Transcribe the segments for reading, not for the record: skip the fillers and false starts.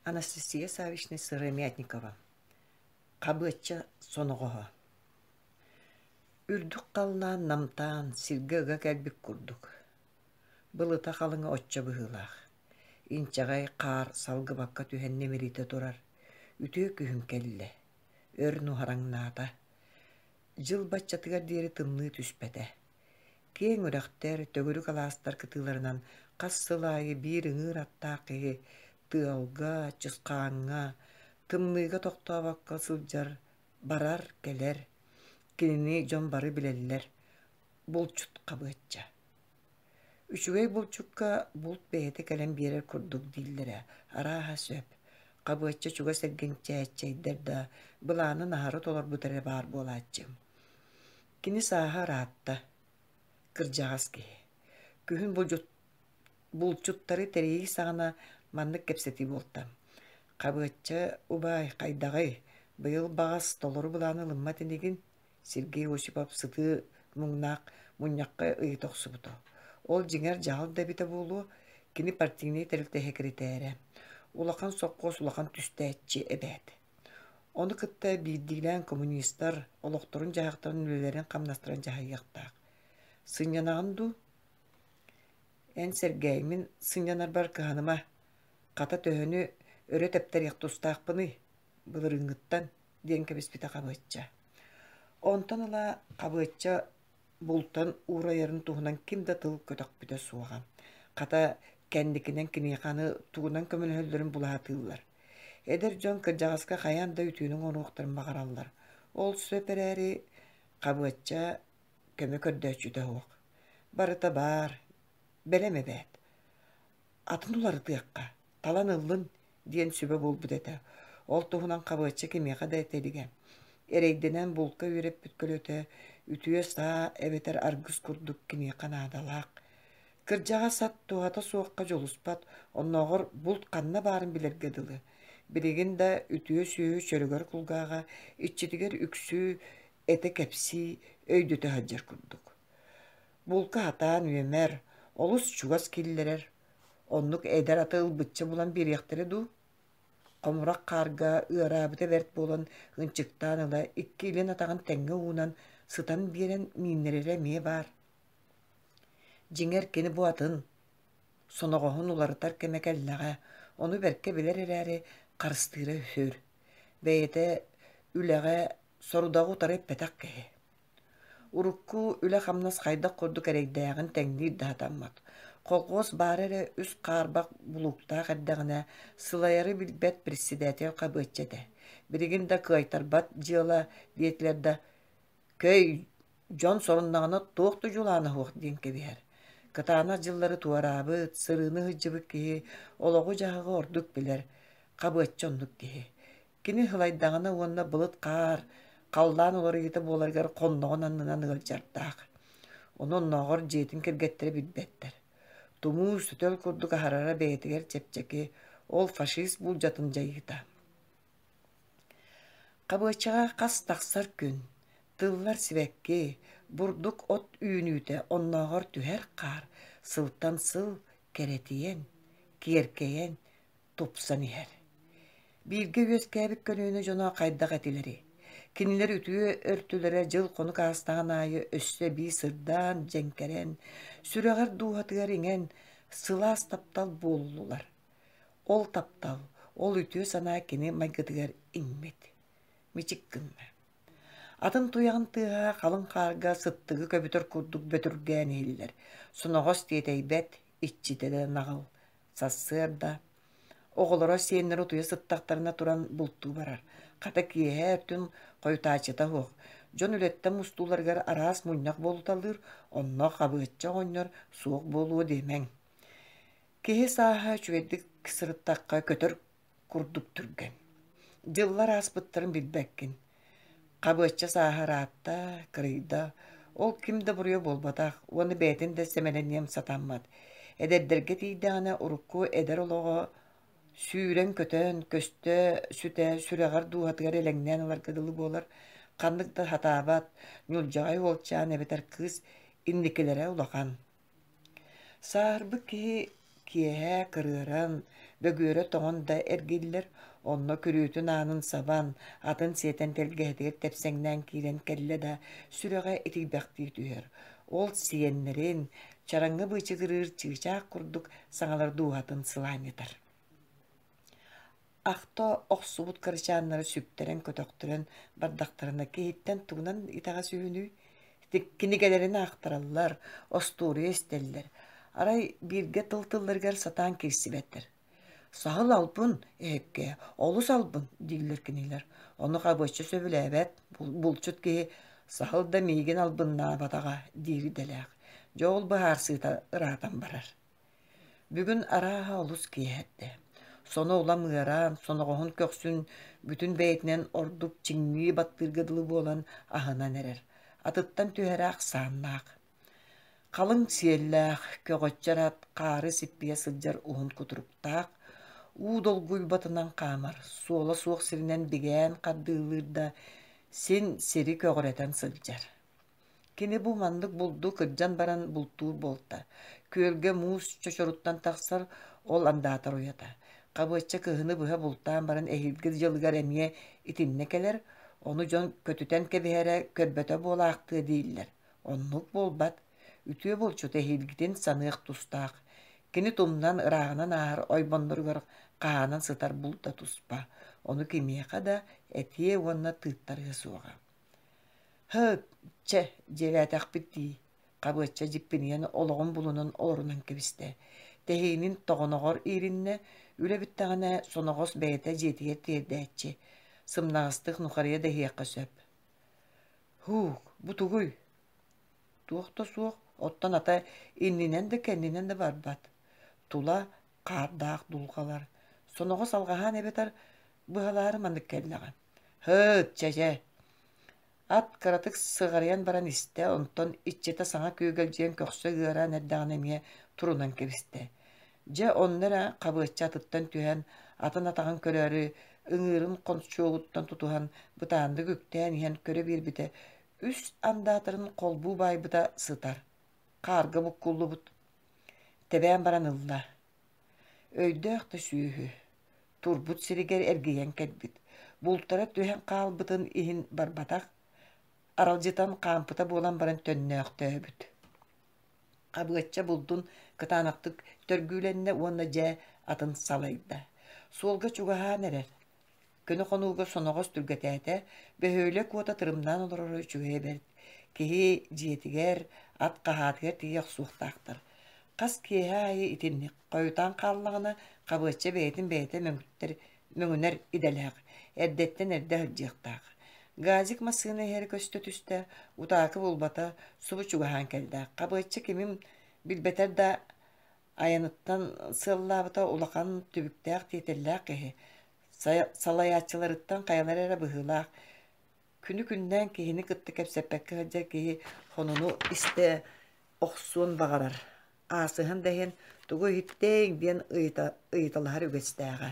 Анастасия Саввична Сыромятникова Хабыачча соноҕоһо Үрдүк халлаан намтаан, сиргэ ыга кэлбит курдук. Былыта халыҥа оччо быһыылаах. Инчэҕэй хаар салгыбакка түһэн нэмиритэ турар. Үтүө күһүн кэллэ. Өр нуһараҥнаата. Дьыл баччатыгар диэри тымныы түспэтэ. Киэҥ үрэхтэр, төгүрүк алаастар кытыыларынан хас сыл аайы биир ыҥыыр аттаах киһи тыалга, чысхааҥҥа, тымныыга тохтообокко сылдьар, барар-кэлэр. Кинини дьон бары билэллэр, булчут Хабыачча. Үчүгэй булчукка булт бэйэтэ кэлэн биэрэр курдук дииллэрэ арааһа сөп. Хабыачча чугас эргин чээччэйдэр да, былаанын аһары толорбут эрэ баар буолааччы. Кини сааһа ыраатта, кырдьаҕас киһи. Күһүн булчуттары тэрийии саҕана маннык кэпсэтии буолта: «Хабыачча убаай, хайдаҕый, быйыл баҕас толору былааны ылыммат инигин?» Сергей Осипов сытыы муҥнаах мунньахха ыйыта охсубута. Ол дьиҥэр дьаһал да эбитэ буолуо, кини партийнай тэрилтэ сэкирэтээрэ. Улахан сопхуос улахан түстээччи эбээт. Ону кытта биирдиилээн коммунистар олохторун-дьаһахтарын үлэлэрин-хамнастарын дьаһайыахтаах. Сынньанаҕын дуу? Эн Сэргээй, мин сынньанарбар кыһаныма. Хата төһөнү өрө тэптэриэх тустаахпыный? Былырыыҥҥыттан, диэн кэбиспитэ Хабыачча. Онтон ыла Хабыачча бултан уурайарын туһунан ким да тыл көтөхпүтэ суоҕа. Хата, кэнникинэн киниэхэ аны тугунан көмөлөһөллөрүн була сатыыллар. Эдэр дьон кырдьаҕаска хайаан да үтүөнү оҥоруохтарын баҕараллар. Ол сөп эрээри, Хабыачча көмө көрдөөччүтэ суох. Барыта баар, бэлэм эбээт. Атын уларытыахха, талан ыллын диэн сүбэ буолбут этэ. Ол туһунан Хабыачча кимиэхэ да этэ илигэ. Эрэйдэнэн булка үөрэппит көлөтө үтүө саа эбэтэр аргыс курдук киниэхэ наадалаах. Кырдьаҕас ат туһата суохха дьулуспат, оннооҕор булт ханна баарын билэргэ дылы. Билигин да үтүө сүөһү чөрөгөр кулгааҕа иччитигэр үксүү этэ кэпсии, өйдөтө сылдьар курдук. Булка сатаан үөмэр, олус чугас киллэрэр, оннук эдэр аты ылбычча булан биэриэхтэрэ дуу? Хомурах хаарга ыараабыта бэрт буолан ынчыктаан ыла икки илин атаҕын тэҥҥэ уунан сытан биэрэн мииннэрэрэ эмиэ баар. Дьиҥэр кини бу атын, соноҕоһун уларытар кэмэ кэллэҕэ, ону бэркэ билэр эрээри харыстыыра үһү. Бэйэтэ үлэҕэ сорудаҕы утары эппэтэх киһи. Урукку үлэ-хамнас хайдах курдук эрэйдээҕин тэҥниир да сатаммат. Колхуос баара эрэ үс хаарбах булууктаах эрдэҕинэ, сылайары билбэт председатель Хабыачча этэ. Билигин да кыайтарбат дьыала диэтилэр да, Көй, дьон соруннаҕына туох да дьулаана суох диэн кэбиһэр. Кытаанах дьыллары туораабыт, сырыыны сылдьыбыт киһи олоҕу-дьаһаҕы ордук билэр, Хабыачча оннук киһи. Кини сылайдаҕына уонна былыт хаар, халлаан уларыйыыта буоларыгар хонноҕун аннынан ыалдьардаах. Ону оннооҕор дьиэтин кэргэттэрэ билбэттэр. Тумуу сөтөл курдук аһарара бэйэтигэр чэпчэки, ол фашист буулдьатын дьайыыта. Хабыаччаҕа хас тахсар күн, тыллар сибэкки, бурдук от үүнүүтэ оннооҕор түһэр хаар сылтан сыл кэрэтийэн, киэркэйэн, тупсан иһэр. Бииргэ үөскээбит көлүөнэ дьоно хайдах этилэрий? Кинилэр үтүө өртүлэрэ дьыл-хонук аастаҕын аайы өссө эбии сырдаан, дьэҥкэрэн, сүрэҕэр дууһатыгар иҥэн, сылаас таптал буоллулар. Ол таптал, ол үтүө санаа кини майгытыгар иҥмит. Мичик гынна. Атын туйаҕын тыаһа халыҥ хаарга сыттыгы көбүтэр курдук бөтүргээн иһиллэр. Соноҕос тиэтэйбэт, иччитэ да наҕыл. Сарсыарда оҕолоро сиэннэрэ утуйа сыттахтарына туран бултуу барар. Хата киэһэ өртүн хойутааччыта суох. Дьон үлэттэн мустууларыгар араас мунньах буолуталыыр, онно Хабыачча оҕонньор суох буолуо диэмэҥ. Киһи сааһа үчүгэйдик сырыттахха көтөр курдук түргэн. Дьыллар ааспыттарын билбэккин. Хабыачча сааһа ыраатта, кырыйда, ол ким да буруйа буолбатах уонна бэйэтин да сэмэлэниэн сатаммат. Эдэрдэргэ тиийдэҕинэ урукку эдэр олоҕо сүүрэн-көтөн, көстө сүтэ, сүрэҕэр дууһатыгар элэҥнээн ыларга дылы буолар, ханнык да сатаабат, ньулдьаҕай уолчаан эбэтэр кыыс инникилэрэ улахан. Сааһырбыт киһи киэһэ кырыаран, Бөгүөрэ тоҥон да эргиллэр, онно күрүөтүн аанын сабан, атын сиэтэн тэлгэһэтигэр тэпсэҥнээн киирэн кэллэ да, сүрэҕэ итийбэхтии түһэр. Ол сиэннэрин, чараҥҥа быычыгырыыр чыычаах курдук саҥалар дууһатын сылаанньытар. Ахта охсубут кырачааннары сүктэрэн-көтөхтөрөн бардахтарына киһиттэн тугунан итэҕэс үһүнүй? Кинигэлэрин аахтараллар, остуоруйа истэллэр. Арай бииргэ тыл-тылларыгар сатаан киирсибэттэр. «Саһыл албын, эһэккээ, олус албын» дииллэр кинилэр. Ону Хабыачча сөбүлээбэт, булчут киһи «Саһыл да миигин албыннаабатаҕа» диир идэлээх. Дьэ ол быһаарсыыта ыраатан барар. Бүгүн арааһа олус киэһэрдэ. Соно улам ыараан, соноҕоһун көхсүн бүтүн бэйэтинэн ордук чиҥнии баттыырга дылы буолан аһынан эрэр. Атыттан түһэрэ ахсааннаах. Халыҥ сиэллээх, көҕөччөр ат хаары сиппийэ сылдьар уһун кутуруктаах, уу долгуйбатынан хаамар, суола суох сиринэн бигээн хардыылыыр да, син сири көҕүрэтэн сылдьар. Кини бу маннык булду кырдьан баран бултуур буолта. Күөлгэ муус чочоруттан тахсар, ол андаатар уйата. Хабыачча кыһыны быһа бултаан баран эһиилги дьылыгар эмиэ итиннэ кэлэр, ону дьон көтүтэн кэбиһэрэ көрбөтө буолаахтыа дииллэр. Оннук буолбат. Үтүө булчут эһиилгитин саныах тустаах. Кини тумнан ырааҕынан ааһар ойбонноругар хаһаанан сытар булда туспа. Ону кимиэхэ да этиэ уонна тыыттарыа суоҕа. Һы, чэ, дьиэлээтэхпит дии, Хабыачча дьиппинийэн олоҕун булунан олорунан кэбистэ. Тэһиинин тоҕоноҕор иириннэ, үлэ бүттэҕинэ соноҕос бэйэтэ дьиэтигэр тиэрдээччи. Сымнаҕастык нухарыйа да иһиэххэ сөп. Һуук, бу тугуй? Туох да суох, оттон ата иннинэн да кэннинэн да барбат. Тула хаардаах дулҕалар. Соноҕос алҕаһаан эбэтэр быһалаары маннык кэллэҕэ. Һыт, чэ-чэ Ат кыратык сыҕарыйан баран истэ, онтон иччитэ саҥа күөгэлдьийэн көхсө ыараан эрдэҕинэ эмиэ турунан кэбистэ. Дьэ онно эрэ Хабыачча атыттан түһэн, атын атаҕын көрөөрү, ыҥыырын хончуогуттан тутуһан, бытааннык үктээн иһэн көрө биэрбитэ, үс андаатарын холбуу баайбыта сытар, хаарга буккуллубут. Тэбээн баран ылла. Өйдөөх да сүөһү турбут сиригэр эргийэн кэлбит, бултара түһэн хаалбытын иһин барбатах, аралдьытан хаампыта буолан баран төннөөхтөөбүт. Хабыачча булдун кытаанахтык төргүүлэннэ уонна дьэ атын салайда. Суолга чугаһаан эрэр. Көнө хонууга соноҕос түргэтээтэ, бөһүөлэк уота тырымнаан олороро үчүгэйэ бэрт. Киһи дьиэтигэр, ат хаһаатыгар тиийэ охсуохтаахтар. Хас киэһэ аайы итинник хойутаан хааллаҕына, Хабыачча бэйэтин бэйэтэ мөҥүттэр мөҥүнэр идэлээх, эрдэттэн эрдэ сылдьыахтаах. Газик массыына иһэрэ көстө түстэ, утаакы булбата, субу чугаһаан кэллэ. Хабыачча кимин билбэтэр да айаныттан сыаллаабыта улахан түбүктээх тиэтэллээх киһи. Салайааччыларыттан хайалара эрэ быһыылаах. Күнү-күннээн киһини кытта кэпсэппэккэ сылдьар киһи сонуну истэ охсуон баҕарар. Аасыһан да иһин тугу иһиттиҥ диэн ыйыталаһар үгэстээҕэ.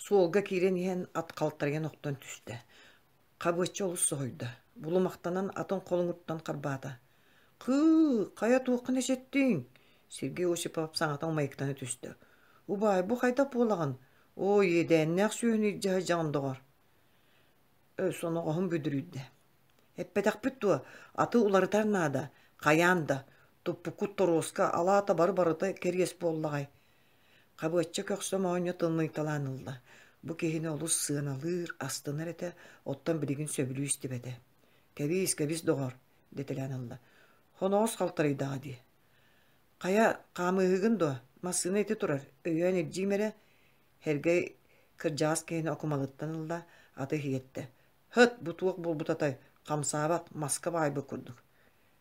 Суолга киирэн иһэн ат халтарыйан охтон түстэ. Хабыачча олус соһуйда, булумахтанан атын холуҥуттан харбаата. «Кыы, хайа туоххун эчэттиҥ?» Сергей Осипов саҥата умайыктана түстэ. «Убаай, бу хайдах буолаҕын? Оо, иэдээннээх сүөһүнү илдьэ сылдьаҕын доҕор!» Соноҕоһум бүдүрүйдэ. «Эппэтэхпит дуо, аты уларытар наада, хайаан да, туппуккут торуоска алаата бары-барыта кэриэс буоллаҕай» Хабыачча көхсө моонньо тымныйталаан ылла. Бу киһини олус сыаналыыр, астынар этэ, оттон билигин сөбүлүү истибэтэ. «Кэбиис, кэбис, доҕор!» дэтэлээн ылла. «Хоноҕос халтарыйдаҕа дии. Хайа, хаамыыһыгын дуо? Массыына ити турар, өйөөн илдьиим эрэ» Һэргэй кырдьаҕас киһини окумалыттан ылла, аты иһиэттэ. «Һыт, бу туох буолбут атай, хамсаабат, маска баайбыт курдук.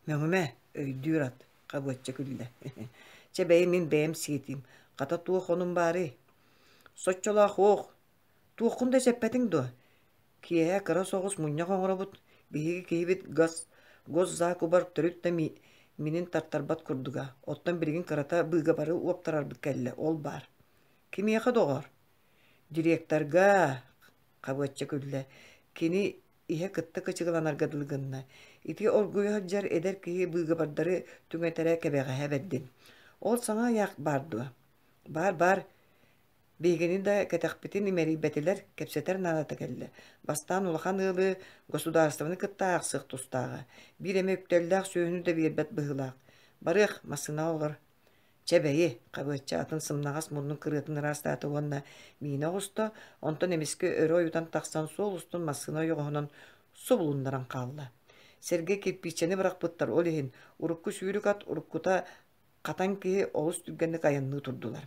Мөҥүмэ, өйдүүр ат, Хабыачча күллэ. Чэ бэйи мин бэйэм сиэтиим, хата туох онум баарый? Соччолоох уох, туоххун да эчэппэтиҥ дуо? Киэһэ кыра соҕус мунньах оҥоробут, биһиги киһибит газ госзакубар төрүт да минин тартарбат курдуга, оттон билигин кырата быыгабары уоптарарбыт кэллэ, ол баар. Кимиэхэ доҕор? Директорга, Хабыачча күллэ. Кини иһэ кытта кычыгыланарга дылы гынна. Ити оргуйа сылдьар эдэр киһи быыгабардары түҥэтэрэ кэбэҕэһэ бэрдин. Ол саҥа ыйаах баар дуо? Баар, баар, биһигини да кэтэхпитин имэрийбэтилэр, кэпсэтэр наадата кэллэ. Бастаан улахан ыалы государствоны кытта аахсыах тустааҕа. Биир эмэ үктэллээх сүөһүнү да биэрбэт быһыылаах. Барыах, массыынаҕа олор. Чэ бэйи, Хабыачча атын сымнаҕас муннун кырыатын ыраастаата уонна миинэ оҕуста, онтон эмискэ өрө ойутан тахсан суол устун массыына ойоҕоһунан субулуннаран хаалла. Сэргэ кирпииччэни бырахпыттар, ол иһин урукку сүүрүк ат уруккута хатан киһи олус түргэнник айанныы турдулар.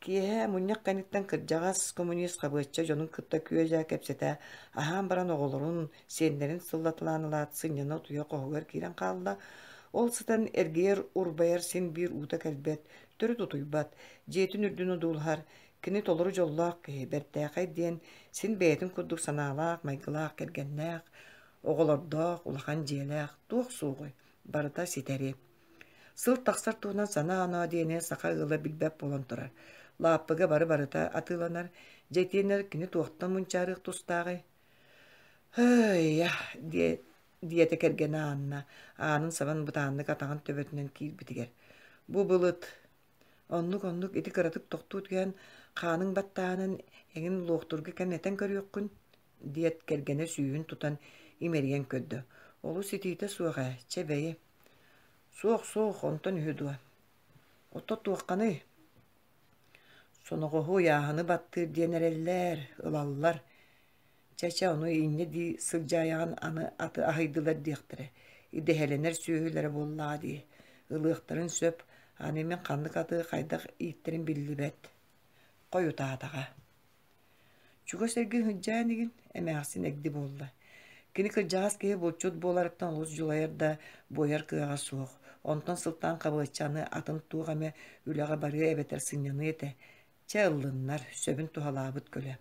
Киэһэ мунньах кэнниттэн кырдьаҕас коммунист Хабыачча дьонун кытта күө-дьаа кэпсэтэ, аһаан баран оҕолорун, сиэннэрин сыллаталаан ылаат сынньана утуйа хоһугар киирэн хаалла. Ол сытан эргийэр-урбайар син биир уута кэлбэт, төрүт утуйбат, дьиэтин үрдүн одуулаһар, кини толору дьоллоох киһи, бэртээхэй диэн син бэйэтин курдук санаалаах, майгылаах кэргэннээх, оҕолордоох, улахан дьиэлээх, туох суоҕуй, барыта ситэри. Сыл тахсар туһунан санаа-оноо диэни саха ыала билбэт буолан турар. Лааппыга бары-барыта атыыланар, дьэ итиэннэ кини туохтан мунчаарыах тустааҕый? «Һыйа» диэтэ кэргэнэ Анна, аанын сабан бытааннык атаҕын төбөтүнэн киирбитигэр. «Бу былыт Оннук-оннук ити кыратык тохтуу түһэн, хааныҥ баттааһынын эҥин луохтуурга кэм этэн көрүөххүн» диэт кэргэнэ сүүһүн тутан имэрийэн көрдө. «Олус итиитэ суох ээ, чэ бэйи» Суох-суох, онтон үһү дуо? Ото туохханый? Соноҕоһу ыйааһыны баттыыр диэн эрэллэр, ылаллар. Чэ-чэ, ону инньэ дии сылдьаайаҕын аны аты аһыйдылар диэхтэрэ. Идэһэлэнэр сүөһүлэрэ буоллаҕа дии. Ылыахтарын сөп, аны мин ханнык аты хайдах ииттэрин биллибэт. Хойутаатаҕа. Чугас эргин сылдьаа инигин, эмээхсин эгди буолла. Кини кырдьаҕас киһи булчут буоларыттан олус дьулайар да, буойар кыаҕа суох. Онтон сылтаан Хабыаччаны атын туох эмэ үлэҕэ барыа эбэтэр сынньаныа этэ. Чэ ыллыннар, сөбүн туһалаабыт көлө.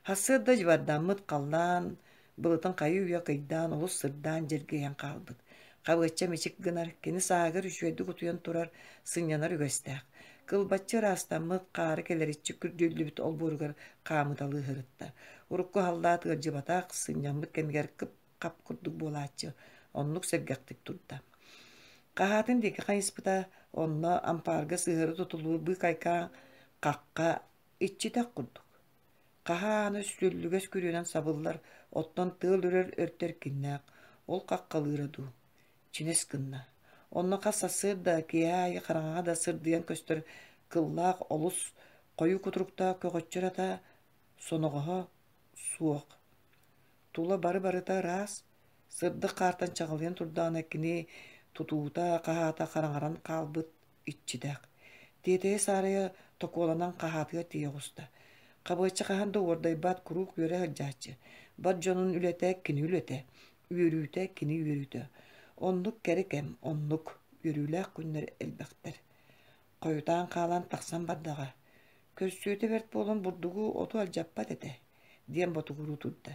Сарсыарда дьыбардаммыт халлаан былытын хайыы-үйэ кыйдаан олус сырдаан дьэргэйэн хаалбыт. Хабыачча мичик гынар, кини сааһыгар үчүгэйдик утуйан турар, сынньанар үгэстээх. Кылбаччы ыраастаммыт, хаары кэлэриччи күрдьүллүбүт олбуоругар хаамыталыы сырытта. Урукку халлаат ыалдьыбатах, сынньаммыт кэмигэр кып-хап курдук буолааччы, оннук сэргэхтик турда. Хаһаатын диэки хайыспыта, онно ампаарга сыһыары тутуллубут быыкайкаан хахха иччитэх курдук. Хаһаа ааны сүллүгэс күрүөнэн сабыллар, оттон тыал үрэр өртө эркиннээх, ол хаххалыыра дуу, чинэс гынна. Онно хас сарсыарда, киэһэ аайы хараҥаҕа да сырдыйан көстөр кыллаах олус хойуу кутуруктаах көҕөччөр ата соноҕоһо суох. Тула бары-барыта ыраас, сырдык хаартан чаҕылыйан турдаҕына кини тутуута, хаһаата хараҥаран хаалбыт иччитэх. Тиэтэйэ-саарайа токуоланан хаһаатыгар тиийэ оҕуста. Хабыачча хаһан да уордайбат, куруук үөрэ сылдьааччы. Бар дьонун үлэтэ кини үлэтэ, үөрүүтэ кини үөрүүтэ. Оннук кэрэ кэм, оннук үөрүүлээх күннэр элбэхтэр. Хойутаан хаалан тахсан бардаҕа. Көрсүөтэ бэрт буолан бурдугу оту алдьаппат этэ, диэн ботугуруу турда.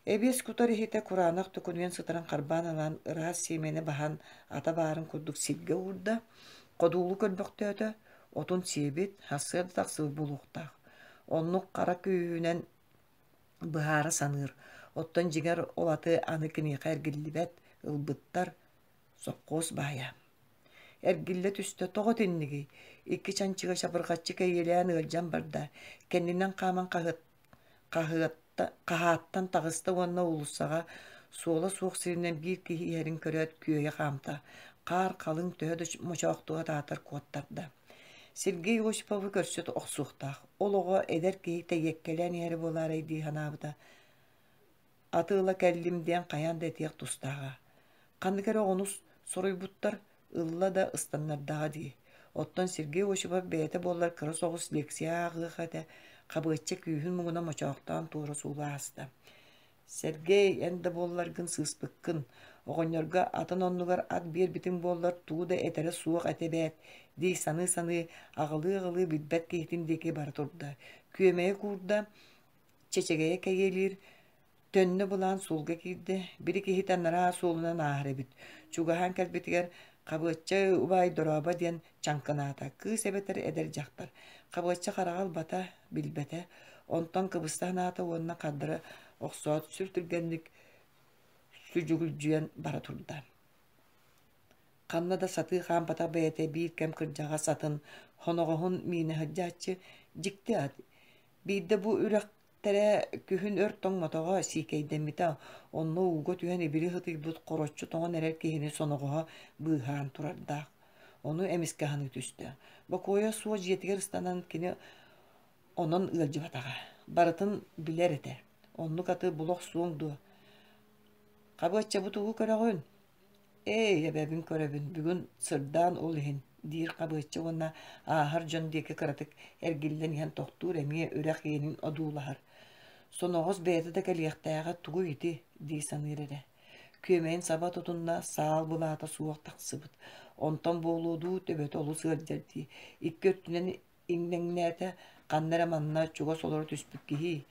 Эбиэс кутар иһитэ кураанах төкүнүйэн сытарын харбаан ылан ыраас сиэмэни баһан ата баарын курдук сиргэ уурда, ходуулу көрбөхтөөтө, отун сиэбит, сарсыарда тахсыбыт буолуохтаах. Оннук хара күүһүнэн быһаара саныыр, оттон дьиҥэр ол аты аны киниэхэ эргиллибэт, ылбыттар, сопхуос баайа. Эргиллэ түстэ, тоҕо итиннигий? Икки чанчыга чабырҕаччы кэйиэлээн ыалдьан барда, кэннинэн хааман хаһыат хаһааттан таҕыста уонна уулуссаҕа суола суох сиринэн биир киһи иһэрин көрөөт күөйэ хаамта, хаар халыҥ төһө да мочоохтуга таатар куоттарда. Сергей Осиповы көрсө охсуохтаах, ол оҕо эдэр киһи тэйиэккэлээн иһэрэ буолаарай дии санаабыта. Аты ыла кэллим диэн хайаан да этиэх тустааҕа. Ханнык эрэ оҕону соруйбуттар, ылла да ыстаннардаҕа дии. Оттон Сергей Осипов бэйэтэ буоллар кыра соҕус лекция ааҕыах этэ, Хабыачча күүһүн муҥуна мочоохтоон туора суулу ааста. Сергей, эн да буолларгын сыыспыккын. Оҕонньорго атын оннугар ат биэрбитиҥ буоллар тугу да этэрэ суох этэ эбээт дии саныы-саныы аҕылыы-аҕылыы билбэт киһитин диэки бара турда. Күөмэйэ куурда, чэчэгэйэ кэйиэлиир, Төннө былаан суолга киирдэ, били киһитэ анараа суолунан ааһар эбит. Чугаһаан кэлбитигэр «Хабыачча убаай дорообо» диэн чаҥкынаата, кыыс эбэтэр эдэр дьахтар. Хабыачча хараҕа ылбата, билбэтэ. Онтон кыбыста санаата уонна хардары охсоот сүр түргэнник сүдьүгүлдьүйэн бара турда. Ханна да сатыы хаампатах бэйэтэ биир кэм кырдьаҕас атын Хоноҕоһун миинэ сылдьааччы дьикти ат. Биирдэ бу үрэхтэрэ күһүн өр тоҥмотоҕо, сиикэйдэммитэ, онно ууга түһэн ибили сытыйбыт хороччу тоҥон эрэр киһини соноҕоһо быыһаан турардаах. Ону эмискэ аһыныы түстэ. Бокуойа суох дьиэтигэр ыстанан кини онон ыалдьыбатаҕа. Барытын билэр этэ. Оннук аты була охсуоҥ дуо? Хабыачча бу тугу көрөҕүн? Ээй, эбэбин көрөбүн, бүгүн сырдаан ол иһин, диир Хабыачча уонна ааһар дьон диэки кыратык эргиллэн иһэн тохтуур эмиэ үрэх иэнин одуулаһар. Соноҕос бэйэтэ да кэлиэхтээҕэ тугуй ити дии саныыр эрэ. Күөмэйин саба тутунна, саал былаата суох тахсыбыт. Онтон буолуо дуу, төбөтө олус ыалдьар дии. Икки өттүнэн иҥнэҥнээтэ, ханна эрэ манна чугас олоро түспүт киһи.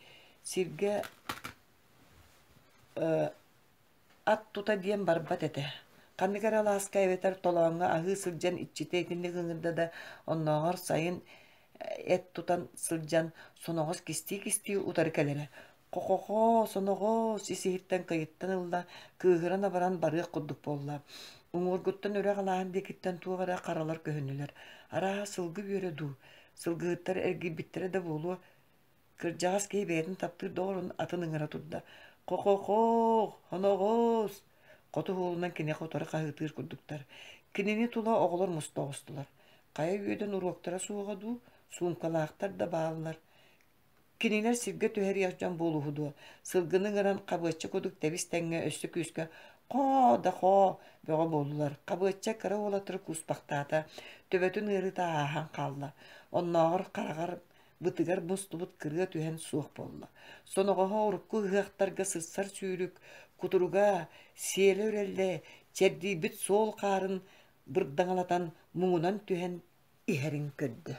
Сиргэ Ат тута диэн барбат этэ. Ханнык эрэ алааска эбэтэр толооҥҥо аһыы сылдьан иччитэ итинник ыҥырда да, оннооҕор сайын эт тутан сылдьан соноҕос кистии-кистии утары кэлэрэ. Хо-хо-хо, соноҕос ис-иһиттэн кыйыттан ылла, кыыһыран абаран барыах курдук буолла. Уҥуоргуттан үрэх алааһын диэкиттэн туох эрэ харалар көһүннүлэр. Арааһа сылгы үөрэ дуу, сылгыһыттар эргийбиттэрэ да буолуо, Кырдьаҕас киһи бэйэтин таптыыр доҕорун атын ыҥыра турда: «Хо-хо-хоох, хоноҕоос!» Хоту уолунан киниэхэ утары хаһыытыыр курдуктар. Кинини тула оҕолор муста оҕустулар. Хайа үөдэн уруоктара суоҕа дуу, суумкалаахтар да бааллар. Кинилэр сиргэ түһэриэх дьон буолуһу дуо, сылгыны ыҥыран хабыачча курдук тэбис-тэҥҥэ өссө күүскэ «Хоо да хоо!» бөҕө буоллулар. Хабыачча кыра уолаттары кууспахтаата, төбөтүн ыарыыта ааһан хаалла. Оннооҕор хараҕар бытыгар мустубут кырыа түһэн суох буолла. Соноҕоһо урукку ыһыахтарга сырсар сүүрүк, кутуруга, сиэлэ үрэллэ, чэрдийбит суол хаарын бырдаҥалатан муҥунан түһэн иһэрин көрдө.